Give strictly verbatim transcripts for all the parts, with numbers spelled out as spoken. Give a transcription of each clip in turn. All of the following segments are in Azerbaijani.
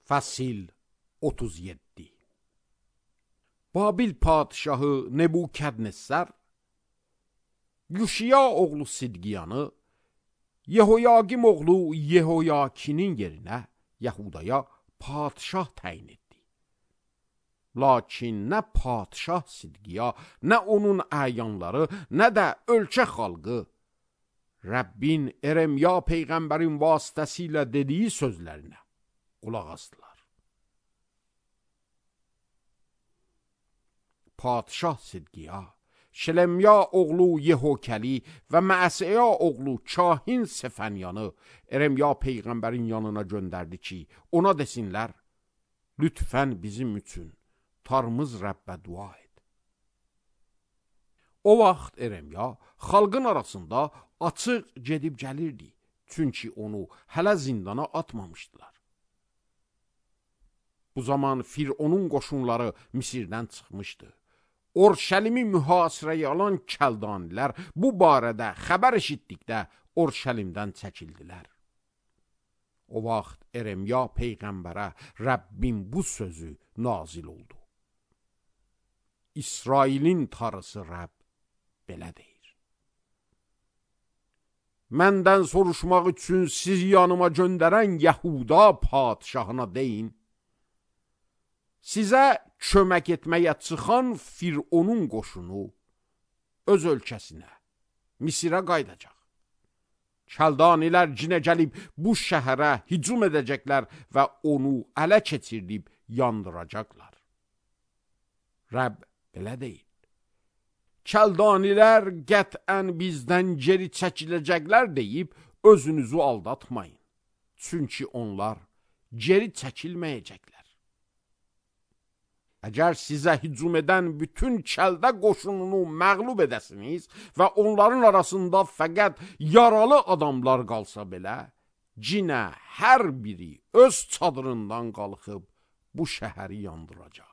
Fəsil otuz yeddi. Babil padişahı Nebukadnessar Yuşiya oğlu Sidqiyanı Yehoyaqim oğlu Yehoyakinin yerinə Yahudaya padişah təyin etdi. Lakin nə padişah Sidqiya, nə onun əyanları, nə də ölkə xalqı Rəbbin Eremya peyğəmbərin vasitəsilə dediyi sözlərinə qulaq asdılar. Padişah Sidqiya, Şelemya oğlu Yehokəli və Məsəya oğlu Kahin Sefənyanı Eremya peyğəmbərin yanına göndərdi ki, ona desinlər, lütfən bizim üçün Tanrımız Rəbbə dua et. O vaxt Eremya xalqın arasında açıq gedib gəlirdi, çünki onu hələ zindana atmamışdılar. Bu zaman Fironun qoşunları Misirdən çıxmışdı. Orşəlimi mühasirəyə alan kəldanilər bu barədə xəbər eşitdikdə Orşəlimdən çəkildilər. O vaxt Eremya peyğəmbərə Rəbbin bu sözü nazil oldu. İsrailin Tanrısı Rəbb belə deyir. Məndən soruşmaq üçün sizi yanıma göndərən Yahuda padişahına deyin, sizə kömək etməyə çıxan Fironun qoşunu öz ölkəsinə, Misirə qayıdacaq. Kəldanilər cinə gəlib bu şəhərə hücum edəcəklər və onu ələ keçirdib yandıracaqlar. Rəbb belə deyil. Kəldanilər qətən bizdən geri çəkiləcəklər deyib özünüzü aldatmayın. Çünki onlar geri çəkilməyəcəklər. Əgər sizə hücum edən bütün kəldə qoşununu məğlub edəsiniz və onların arasında fəqət yaralı adamlar qalsa belə, cinə hər biri öz çadırından qalxıb bu şəhəri yandıracaq.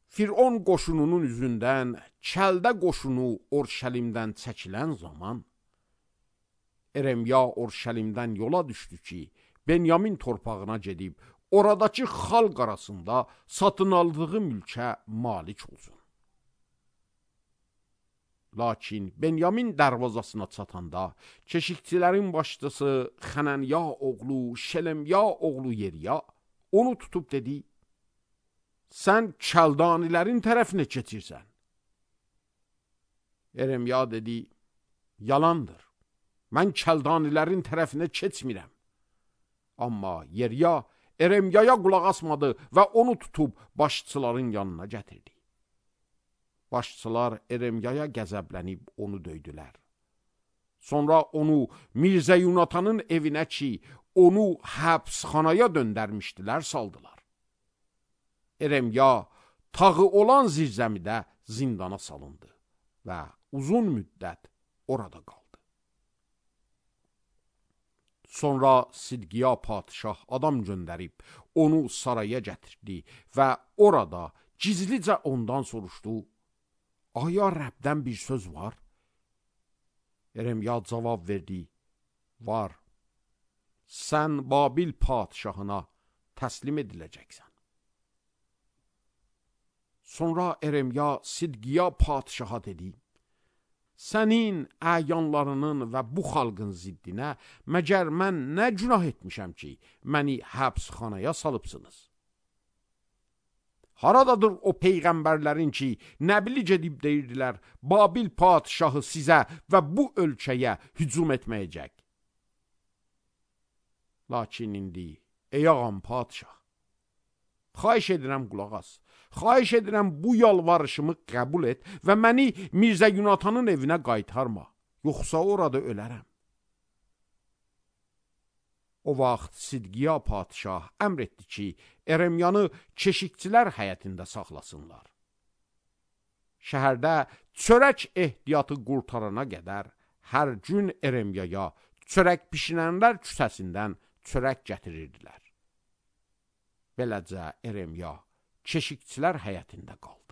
Firon qoşununun üzündən kəldə qoşunu Orşəlimdən çəkilən zaman, Eremya Orşəlimdən yola düşdü ki, Benyamin torpağına gedib, oradakı xalq arasında satın aldığı mülkə malik olsun. Lakin Benyamin dərvazasına çatanda, keşikçilərin başçısı Xənənya oğlu, Şelemya oğlu Yeriya onu tutub dedi, sən kəldanilərin tərəfinə keçirsən. Eremya dedi, yalandır, mən kəldanilərin tərəfinə keçmirəm. Amma Yeriya Eremyaya qulaq asmadı və onu tutub başçıların yanına gətirdi. Başçılar Eremyaya qəzəblənib onu döydülər. Sonra onu Mirzə Yunatanın evinə ki, onu həbsxanaya döndərmişdilər, saldılar. Eremya tağı olan zirzəmidə zindana salındı və uzun müddət orada qaldı. Sonra Sidqiya padişah adam göndərib, onu saraya gətirdi və orada gizlicə ondan soruşdu, aya Rəbdən bir söz var? Eremya cavab verdi, var, sən Babil padişahına təslim ediləcəksən. Sonra Eremya Sidqiya padişaha dedi, sənin əyanlarının və bu xalqın ziddinə məgər mən nə günah etmişəm ki, məni həbsxanaya salıbsınız? Haradadır o peyğəmbərlərin ki, nəbili gedib deyirdilər, Babil padişahı sizə və bu ölkəyə hücum etməyəcək. Lakin indi, ey ağam padişah, xahiş edirəm qulaq as. Xahiş edirəm bu yalvarışımı qəbul et və məni Mirzə Yunatanın evinə qaytarma, yoxsa orada ölərəm. O vaxt Sidqiya padişah əmr etdi ki, Eremyanı keşikçilər həyətində saxlasınlar. Şəhərdə çörək ehtiyatı qurtarana qədər hər gün Eremyaya çörək bişirənlər küçəsindən çörək gətirirdilər. Beləcə Eremya keşikçilər həyətində qaldı.